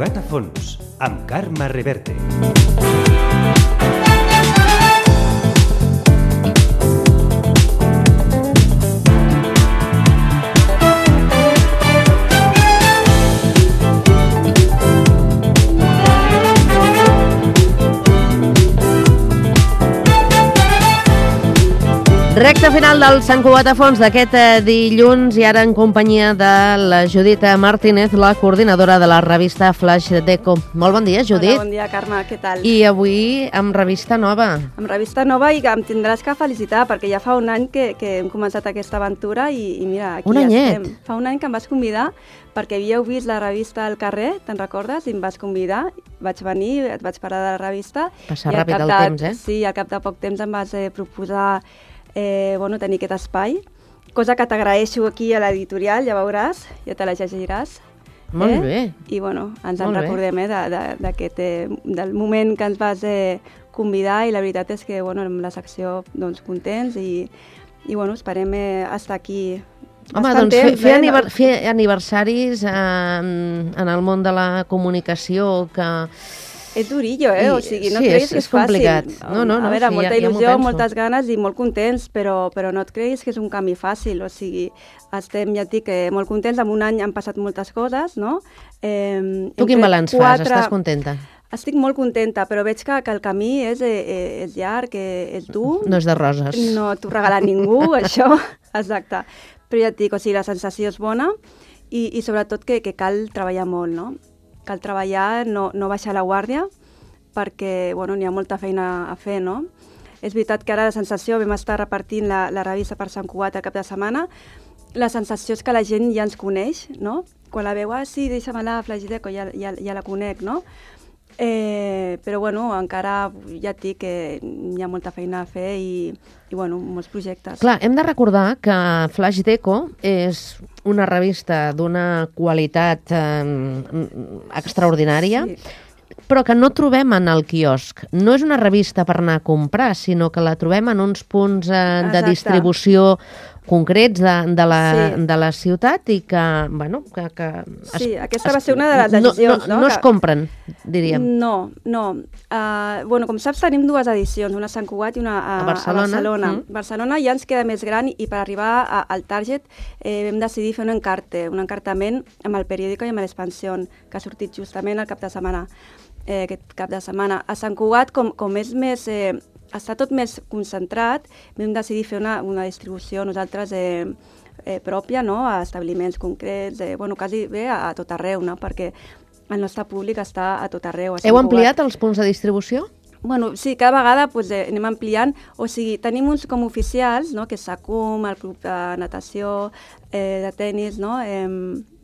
Cugat a fons, amb Carme Reverte. Recte final del Sant Cugat a fons d'aquest dilluns i ara en companyia de la Judit Martínez, la coordinadora de la revista Flaix Deco. Molt bon dia, Judit. Hola, bon dia, Carme, què tal? I avui amb revista nova. Amb revista nova i que em tindràs que felicitar perquè ja fa un any que hem començat aquesta aventura i mira, aquí ja estem. Fa un any que em vas convidar perquè havíeu vist la revista al carrer, te'n recordes? I em vas convidar, vaig venir, et vaig parlar de la revista. Passa ràpid el temps, eh? Sí, al cap de poc temps em vas proposar tenir aquest espai, cosa que t'agraeixo aquí a l'editorial, ja veuràs, ja te la llegiràs. Molt bé. I ens en recordem del moment que ens vas convidar i la veritat és que amb la secció contents i esperem estar aquí. Home, doncs fer aniversaris en el món de la comunicació que... És durillo, o sigui, no creguis que és complicat. Fàcil. No, a veure, sí, molta ja il·lusió, moltes ganes i molt contents, però no et creguis que és un camí fàcil, o sigui, estem, ja et dic, molt contents, en un any han passat moltes coses, no? Tu quin balanç fas? Estàs contenta? Estic molt contenta, però veig que el camí és llarg, és dur. No és de roses. No t'ho regala ningú, això, exacte. Però ja et dic, o sigui, la sensació és bona i sobretot que cal treballar molt, no? Cal treballar, no baixar la guàrdia, perquè n'hi ha molta feina a fer, no? És veritat que ara la sensació, vam estar repartint la revista per Sant Cugat el cap de setmana, la sensació és que la gent ja ens coneix, no? Quan la veu, sí, deixa-me-la, Flaix Deco, ja la conec, no? Però encara ja et dic que hi ha molta feina a fer i molts projectes. Clar, hem de recordar que Flaix Deco és una revista d'una qualitat extraordinària, però que no trobem en el quiosc. No és una revista per anar a comprar, sinó que la trobem en uns punts de distribució concrets de la ciutat i que, Sí, aquesta va ser una de les decisions, no es compren, diríem. No. Com saps, tenim dues edicions, una a Sant Cugat i una a Barcelona. Barcelona ja ens queda més gran i per arribar al target vam decidir fer un encartament amb el periòdico i amb l'Expansión, que ha sortit justament el cap de setmana. Aquest cap de setmana. A Sant Cugat, com és més... està tot més concentrat, vam decidir fer una distribució nosaltres pròpia, no? A establiments concrets, quasi bé a tot arreu, no? Perquè el nostre públic està a tot arreu. Heu ampliat els punts de distribució? Sí, cada vegada anem ampliant, o sigui, tenim uns com oficials, no? Que és SACUM, el club de natació, de tennis, no?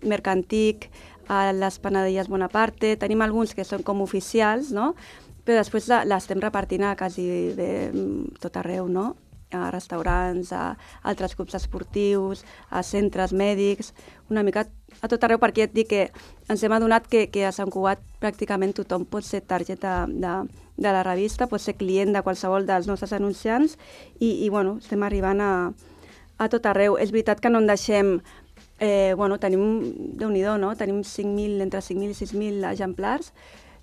Mercantic, a les Panadilles Bonaparte, tenim alguns que són com oficials, no? Però després l'estem repartint a quasi tot arreu, no? A restaurants, a altres clubs esportius, a centres mèdics, una mica a tot arreu, perquè ja et dic que ens hem adonat que a Sant Cugat pràcticament tothom pot ser target de la revista, pot ser client de qualsevol dels nostres anunciants i estem arribant a tot arreu. És veritat que no en deixem... tenim, Déu-n'hi-do, no? Tenim entre 5.000 i 6.000 exemplars,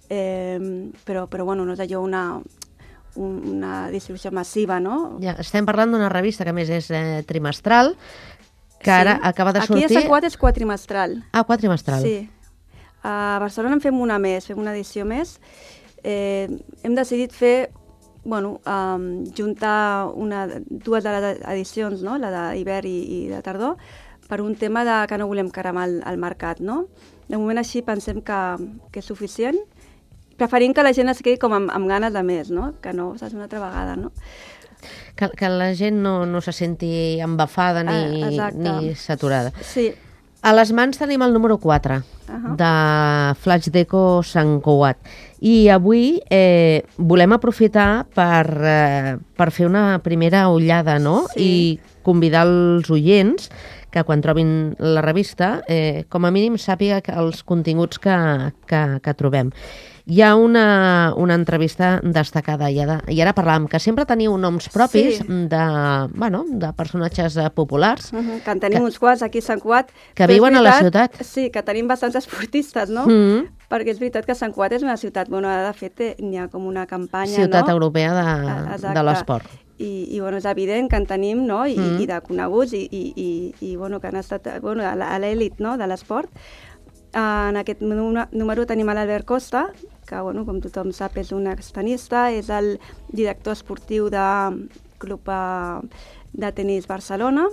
però no és allò una distribució massiva, no? Ja, estem parlant d'una revista que a més és trimestral, que ara acaba de sortir... Aquí a Sant Cugat és quadrimestral. Ah, quadrimestral. Sí. A Barcelona en fem una més, fem una edició més. Hem decidit fer, juntar dues de les edicions, no? La d'hivern i de tardor, per un tema que no volem cremar el mercat, no? De moment així pensem que és suficient. Preferim que la gent es quedi com amb ganes de més, no? Que no saps una altra vegada, no? Que la gent no se senti embafada ni saturada. Sí. A les mans tenim el número 4 de Flaix Deco Sant Cugat. I avui volem aprofitar per fer una primera ullada, no? Sí. I convidar els oients que quan trobin la revista, com a mínim sàpiga els continguts que trobem. Hi ha una entrevista destacada i ara parlàvem que sempre teniu noms propis de personatges populars. Que en tenim uns quants aquí a Sant Cugat. Que viuen a la ciutat. Sí, que tenim bastants esportistes, no? perquè és veritat que Sant Cugat és una ciutat, bueno, de fet n'hi ha com una campanya, Ciutat no? europea de l'esport. I bueno, és evident que en tenim, no? I de coneguts i bueno, que han estat bueno, a l'elit, no? De l'esport. En aquest número tenim a l'Albert Costa, que, bueno, com tothom sap, és un extenista, és el director esportiu del Club de Tenis Barcelona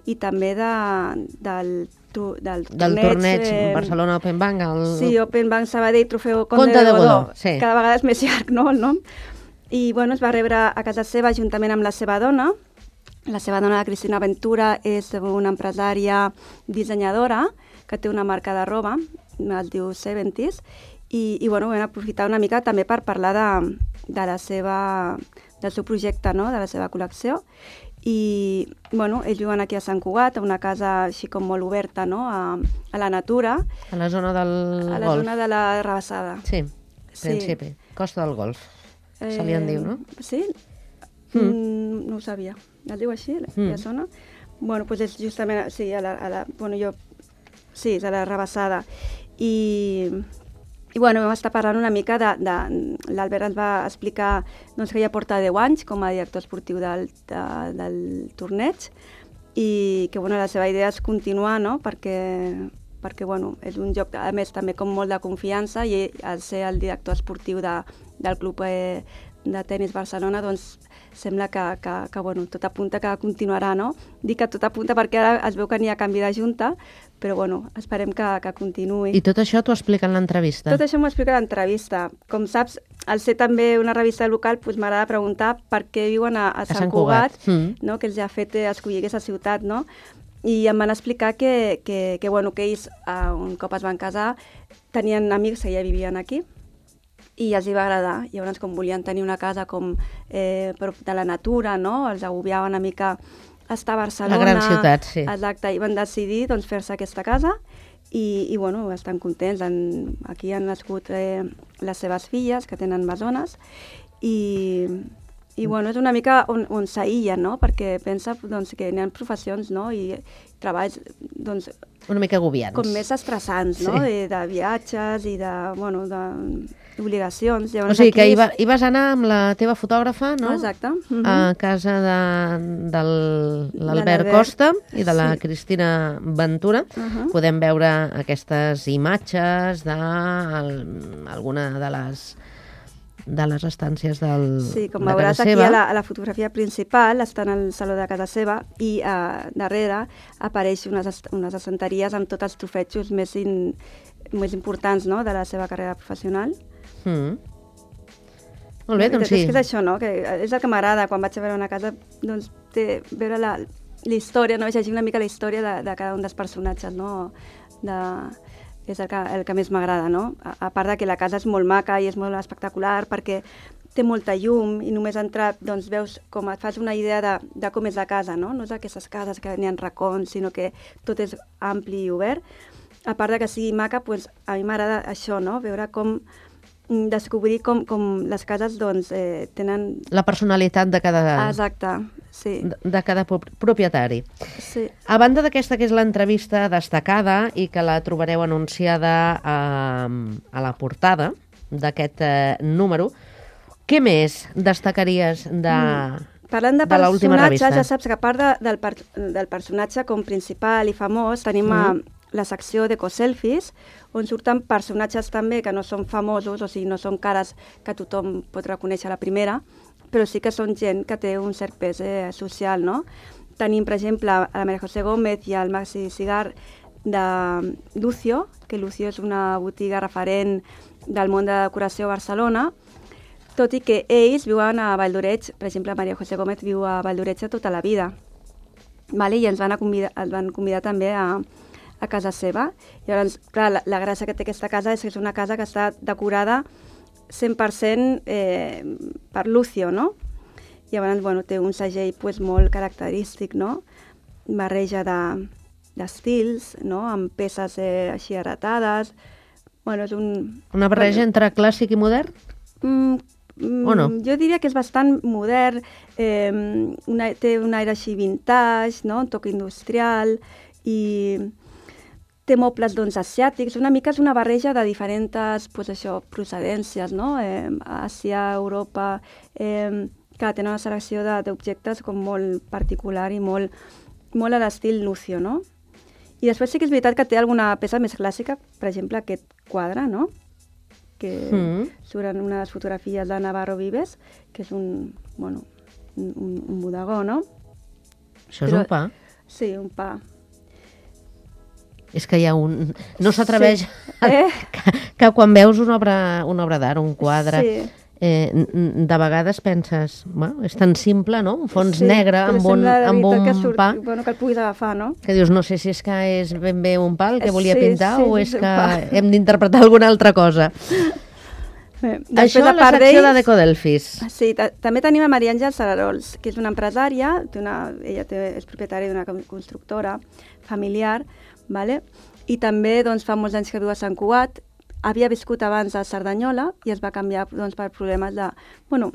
i també del torneig Barcelona Open Bank. Sí, Open Bank Sabadell, Trofeu Conte de Godó. Sí. Cada vegada és més llarg, no, el nom? I bueno, es va rebre a casa seva juntament amb la seva dona. La seva dona, la Cristina Ventura, és una empresària dissenyadora que té una marca de roba, es diu Seventies, i bueno, vam aprofitar una mica també per parlar del seu projecte, no? De la seva col·lecció. I bueno, ells viuen aquí a Sant Cugat, a una casa així com molt oberta, no? A la natura. A la zona del Golf. A la zona de la Rabassada. Sí, principi. Costa del Golf. Se li en diu, no? Sí? No ho sabia. Es diu així, la zona? Bueno, doncs és justament, sí, és a la Rabassada. I bueno, vam estar parlant una mica l'Albert ens va explicar doncs, que ja porta 10 anys com a director esportiu del torneig i que bueno, la seva idea és continuar, no? Perquè bueno, és un joc, a més, també com molt de confiança i al ser el director esportiu del Club de Tenis Barcelona, doncs sembla que bueno, tot apunta que continuarà, no? Dic que tot apunta perquè ara es veu que n'hi ha canvi de junta, però bueno, esperem que continuï. I tot això t'ho explica en l'entrevista? Tot això m'ho explica en l'entrevista. Com saps, al ser també una revista local, doncs m'agrada preguntar per què viuen a Sant Cugat, no? Que els ha fet escollir aquesta ciutat, no? I em van explicar que bueno, que ells, un cop es van casar, tenien amics que ja vivien aquí, i els hi va agradar. Llavors, com volien tenir una casa com prop de la natura, no? Els agobiava una mica estar a Barcelona. La gran ciutat, sí. Exacte, i van decidir doncs, fer-se aquesta casa i bueno, estan contents. Aquí han nascut les seves filles, que tenen besones, i bueno, és una mica on s'aïllen, no? Perquè pensa doncs, que hi ha professions, no? I treballs doncs, una mica agobiants. Com més estressants, no? Sí. De viatges i d'obligacions. O sigui que hi vas anar amb la teva fotògrafa, no? Exacte. A casa de l'Albert Costa i de la Cristina Ventura. Podem veure aquestes imatges d'alguna de les estàncies de casa seva. Sí, com veuràs aquí a la fotografia principal, està en el saló de casa seva i darrere apareix unes estanteries amb tots els trofejos més importants, no?, de la seva carrera professional. Molt bé, doncs sí. És que és això, no?, que és el que m'agrada quan vaig a veure una casa, doncs, veure la història, no?, llegir una mica la història de cada un dels personatges, no?, és el que més m'agrada, no? A part de que la casa és molt maca i és molt espectacular perquè té molta llum i només entrar, doncs veus com et fas una idea de com és la casa, no? No és aquestes cases que n'hi ha racons, sinó que tot és ampli i obert. A part de que sigui maca, doncs a mi m'agrada això, no? Veure descobrir com les cases doncs, tenen... La personalitat de cada... Exacte, sí. De cada propietari. Sí. A banda d'aquesta que és l'entrevista destacada i que la trobareu anunciada a la portada d'aquest número, què més destacaries de parlant de l'última revista? Ja saps que a part del personatge com principal i famós, tenim la secció d'ecoselfies, on surten personatges també que no són famosos, o sigui, no són cares que tothom pot reconèixer a la primera, però sí que són gent que té un cert pes social, no? Tenim, per exemple, a la María José Gómez i al Maxi Cigar de Lucio, que Lucio és una botiga referent del món de la decoració a Barcelona, tot i que ells viuen a Valldoreix. Per exemple, María José Gómez viu a Valldoreix tota la vida, i ens van convidar també a casa seva. Llavors, clar, la gràcia que té aquesta casa és que és una casa que està decorada 100% per Lucio, no? Llavors, bueno, té un segell pues, molt característic, no? Barreja d'estils, no? Amb peces així heretades. Bueno, és una barreja entre clàssic i modern? O no? Jo diria que és bastant modern, té un aire així vintage, no? Un toc industrial, i té mobles doncs, asiàtics, una mica és una barreja de diferents procedències, no? Àsia, Europa, que tenen una selecció d'objectes com molt particular i molt a l'estil Lucio, no? I després sí que és veritat que té alguna peça més clàssica, per exemple aquest quadre, no? Que surten unes fotografies de Navarro Vives, que és un bodegó, no? Això és un pa? Sí, un pa. És que hi ha un... No s'atreveix... Sí. Que quan veus una obra d'art, un quadre, de vegades penses, bueno, és tan simple, no? Un fons negre amb un pa... Bueno, que el puguis agafar, no? Que dius, no sé si és que és ben bé un pa el que volia pintar o és que hem d'interpretar alguna altra cosa. Això a la secció de Decodelfis. Sí, també tenim a Maria Àngels Sararols, que és una empresària, ella és propietària d'una constructora familiar, vale? I també fa molts anys que viu a Sant Cugat, havia viscut abans a Cerdanyola i es va canviar per problemes de... Bueno,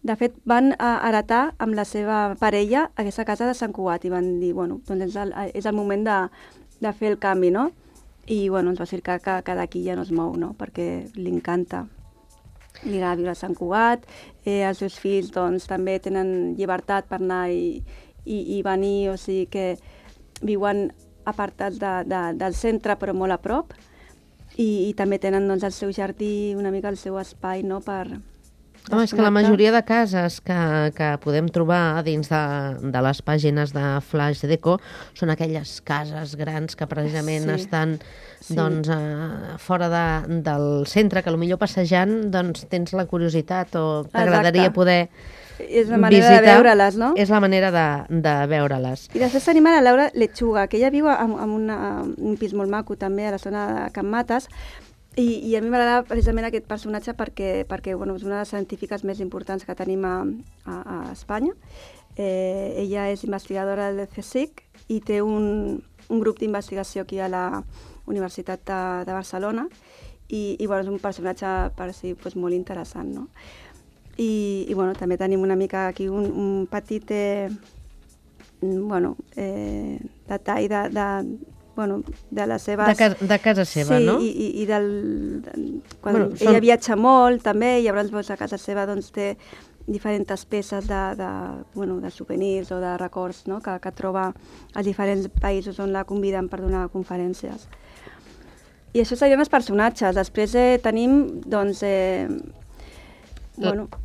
de fet, van heretar amb la seva parella aquesta casa de Sant Cugat i van dir, bueno, doncs és el moment de fer el canvi, no? I, bueno, ens va explicar que d'aquí ja no es mou, no? Perquè li encanta. Li agrada viure a Sant Cugat, els seus fills, doncs, també tenen llibertat per anar i venir, o sigui que viuen apartats del centre, però molt a prop, i també tenen doncs, el seu jardí, una mica el seu espai, no?, per... Home, és que la majoria de cases que podem trobar dins de les pàgines de Flash Deco són aquelles cases grans que precisament estan doncs, fora del centre, que potser passejant doncs, tens la curiositat o t'agradaria poder és la manera de veure-les, no? És la manera de veure-les. I després tenim a la Laura Lechuga, que ella viu en un pis molt maco també a la zona de Can Mates, i a mi m'agrada precisament aquest personatge perquè bueno, és una de les científiques més importants que tenim a Espanya. Ella és investigadora del CSIC i té un grup d'investigació aquí a la Universitat de Barcelona i bueno, és un personatge per si molt interessant, no? I bueno, també tenim una mica aquí un petit detall de les seves... De casa seva, sí, no? Sí, quan ella viatja molt també, i llavors a casa seva té diferents peces de souvenirs o de records, no?, que troba als diferents països on la conviden per donar conferències. I això serien els personatges. Després tenim, doncs...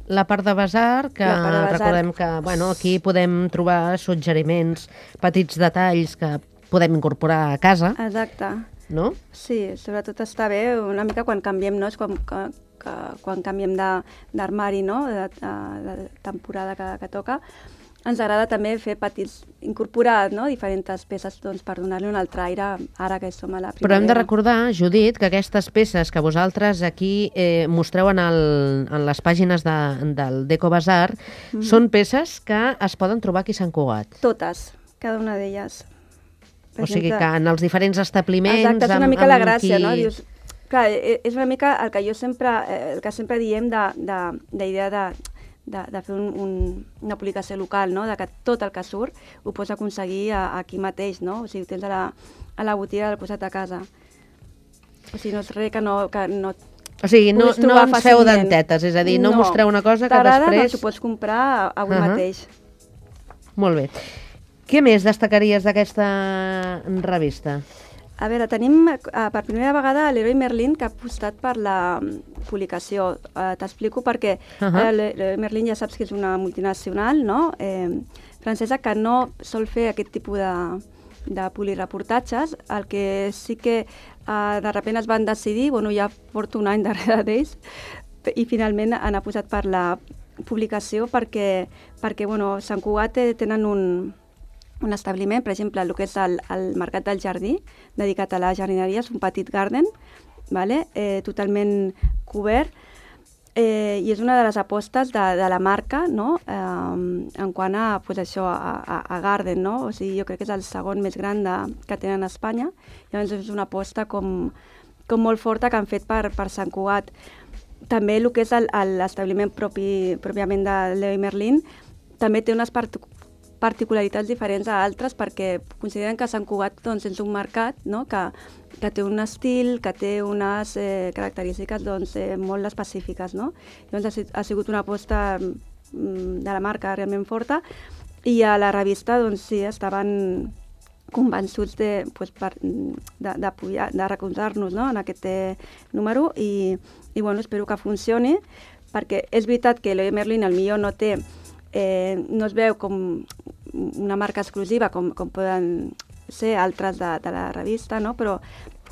La part de basar, que recordem que aquí podem trobar suggeriments, petits detalls que podem incorporar a casa. Exacte. No? Sí, sobretot està bé una mica quan canviem, no? És quan canviem d'armari, no?, de temporada que toca. Ens agrada també fer incorporar, no?, diferents peces per donar-li un altre aire ara que som a la primavera. Però hem de recordar, Judit, que aquestes peces que vosaltres aquí mostreu en les pàgines del Deco Basar són peces que es poden trobar aquí a Sant Cugat. Totes, cada una d'elles. O sigui que en els diferents establiments... Exacte, és una mica la gràcia, no? Dius, clar, és una mica el que sempre diem d'idea de fer una publicació local, no?, de que tot el que surt ho pots aconseguir aquí mateix, no? O sigui, ho tens a la botiga del costat de casa. O sigui, no és res que no o sigui, no ens feu dentetes, és a dir, no mostreu una cosa que després... T'agrada, doncs ho pots comprar avui mateix. Molt bé. Què més destacaries d'aquesta revista? A veure, tenim per primera vegada l'Leroy Merlin, que ha apostat per la publicació. T'explico perquè l'Leroy Merlin ja saps que és una multinacional, no?, francesa, que no sol fer aquest tipus de polireportatges. El que sí que de sobte es van decidir, ja porto un any darrere d'ells, i finalment han apostat per la publicació perquè Sant Cugat tenen un establiment, per exemple, el que és el Mercat del Jardí, dedicat a la jardineria, és un petit garden, totalment cobert, i és una de les apostes de la marca, no?, en quant a garden, no? O sigui, jo crec que és el segon més gran que tenen a Espanya, llavors és una aposta com molt forta que han fet per Sant Cugat. També el que és l'establiment pròpiament de Leroy Merlin també té unes particularitats diferents a altres perquè consideren que Sant Cugat doncs, és un mercat, no? que té un estil, que té unes característiques doncs, molt específiques. No? Llavors ha sigut una aposta de la marca realment forta i a la revista doncs, sí, estaven convençuts de recolzar-nos, no? en aquest número i bueno, espero que funcioni perquè és veritat que Leroy Merlin millor no té, no es veu com una marca exclusiva com poden ser altres de la revista, no? Però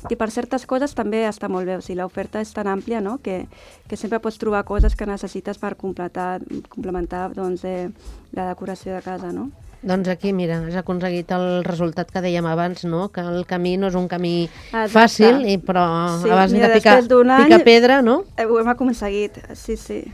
que per certes coses també està molt bé, o sigui, l'oferta és tan àmplia, no? que sempre pots trobar coses que necessites per complementar doncs, la decoració de casa, no? Doncs aquí, mira, has aconseguit el resultat que dèiem abans, no? Que el camí no és un camí fàcil, però sí, abans de picar pedra, no? Ho hem aconseguit, sí.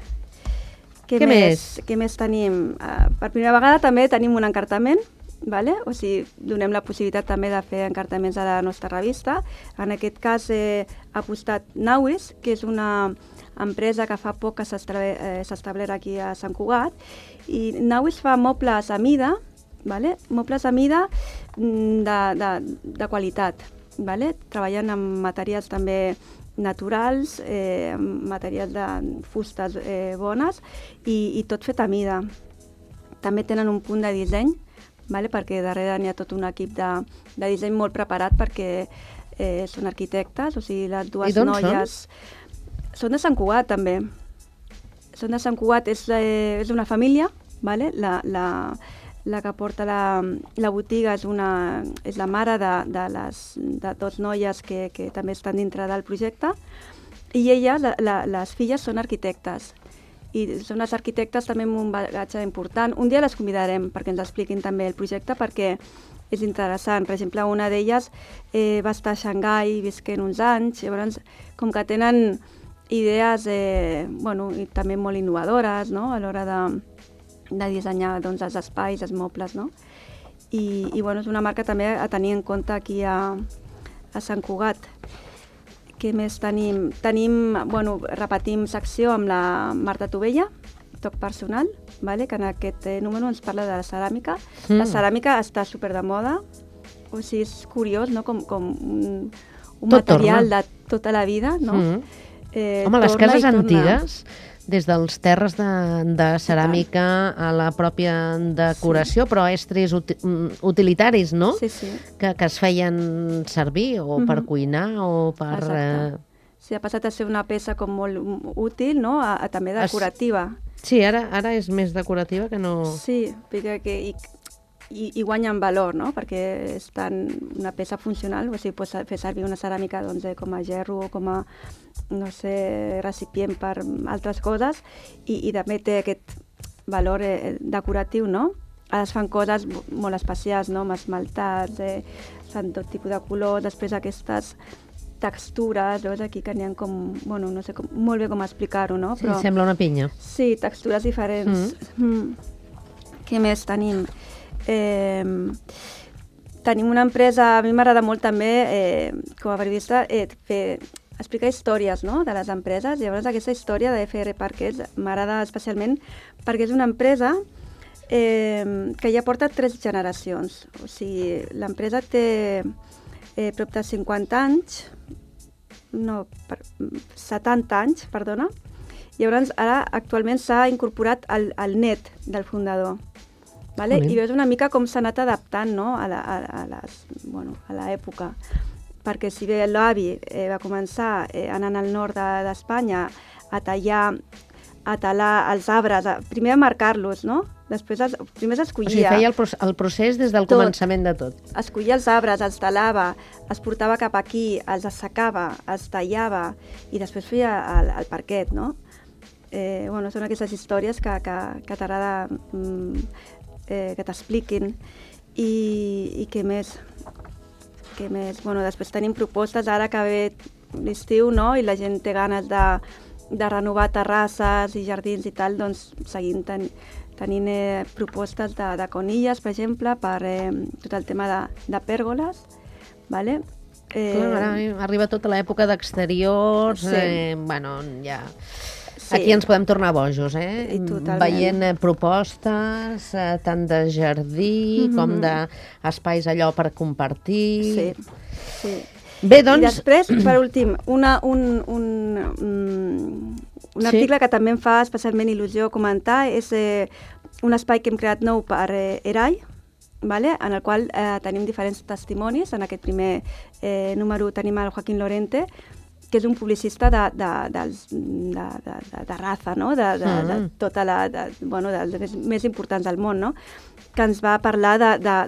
Què més? Què més tenim? Per primera vegada també tenim un encartament, vale? O sigui, donem la possibilitat també de fer encartaments a la nostra revista. En aquest cas ha apostat Nauis, que és una empresa que fa poc que s'ha establert aquí a Sant Cugat, i Nauis fa mobles a mida, vale? Mobles a mida de qualitat, vale? Treballen amb materials també naturals, materials de fustes bones i tot fet a mida. També tenen un punt de disseny, vale? Perquè darrere n'hi ha tot un equip de disseny molt preparat perquè són arquitectes, o sigui, les dues noies... Són de Sant Cugat, també. Són de Sant Cugat, és una família, vale? La que porta la botiga és la mare de dos noies que també estan dintre del projecte, i elles, les filles, són arquitectes. I són les arquitectes també amb un bagatge important. Un dia les convidarem perquè ens expliquin també el projecte, perquè és interessant. Per exemple, una d'elles va estar a Xangai visquent uns anys, llavors com que tenen idees i també molt innovadores, no? A l'hora de dissenyar doncs, els espais, els mobles, no? I és una marca també a tenir en compte aquí a Sant Cugat. Què més tenim? Repetim secció amb la Marta Tovella, toc personal, vale? Que en aquest número ens parla de la ceràmica. La ceràmica està super de moda, o sigui, és curiós, no? Com un material de tota la vida, no? Home, les cases antigues, des dels terres de ceràmica a la pròpia decoració, però estris utilitaris, no? Sí. Que es feien servir o per cuinar o per... Sí, ha passat a ser una peça com molt útil, no? També decorativa. Sí, ara és més decorativa que no... Sí, perquè i guanya en valor, no? Perquè és una peça funcional, o sigui, pots fer servir una ceràmica doncs, com a gerro o com a, no sé, recipient per altres coses, i també té aquest valor decoratiu, no? Ara es fan coses molt especials, no? Amb esmaltats, fan tot tipus de colors, després aquestes textures, veus aquí que n'hi ha com, no sé molt bé com explicar-ho, no? Però, sí, sembla una pinya. Sí, textures diferents. Què més tenim? Tenim una empresa, a mi m'agrada molt també, com a periodista, explicar històries, no? De les empreses. Llavors aquesta història de FR Parquets m'agrada especialment perquè és una empresa que ja porta 3 generacions. O sigui, l'empresa té prop de 50 anys, 70 anys, perdona. Llavors ara actualment s'ha incorporat el net del fundador. Vale? I veus una mica com s'ha anat adaptant, no? a l'època. Perquè si bé l'avi va començar anant al nord d'Espanya a talar els arbres, primer a marcar-los, no? Després primer s'escollia. O sigui, feia el procés des del començament de tot. Escollia els arbres, els talava, els portava cap aquí, els assecava, els tallava i després feia el parquet, no? Són aquestes històries que t'agrada que t'expliquin. I què més? Després tenim propostes, ara que ve l'estiu, no? I la gent té ganes de renovar terrasses i jardins i tal, doncs seguim tenint propostes de conilles, per exemple, per tot el tema de pèrgoles, vale? Clar, ara arriba tota l'època d'exteriors, sí. Ja... Aquí ens podem tornar bojos, Totalment. veient propostes tant de jardí com d'espais allò per compartir. Sí. Bé, doncs... I després, per últim, un article que també em fa especialment il·lusió comentar és un espai que hem creat nou per ERAI, vale? En el qual tenim diferents testimonis. En aquest primer número tenim el Joaquín Lorente, que és un publicista de raza, no? de tota dels més importants del món, no? Que ens va parlar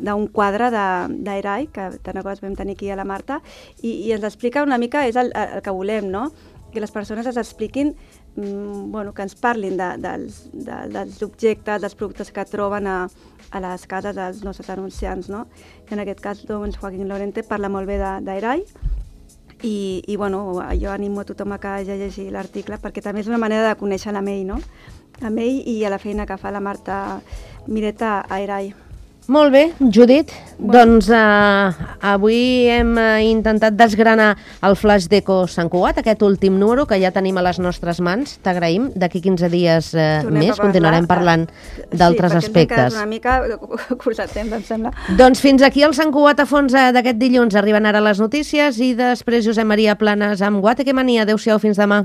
d'un quadre d'ERAI, que tant que vam tenir aquí a la Marta, i ens explica una mica, és el que volem, no? Que les persones ens expliquin, que ens parlin dels objectes, dels productes que troben a les cases dels nostres anunciants, no? En aquest cas, doncs, Joaquín Lorente parla molt bé d'ERAI, i jo animo a tothom a que hagi llegit l'article, perquè també és una manera de conèixer la May, no? A May i a la feina que fa la Marta Mireta a ERAI. Molt bé, Judit. Doncs avui hem intentat desgranar el Flaix d'Eco Sant Cugat, aquest últim número que ja tenim a les nostres mans. T'agraïm. D'aquí 15 dies més continuarem parlant d'altres aspectes. Sí, perquè ens hem quedat una mica curs de temps, em sembla. Doncs fins aquí el Sant Cugat a fons d'aquest dilluns. Arriben ara les notícies i després Josep Maria Planes amb Guateque Mania. Adéu-siau, fins demà.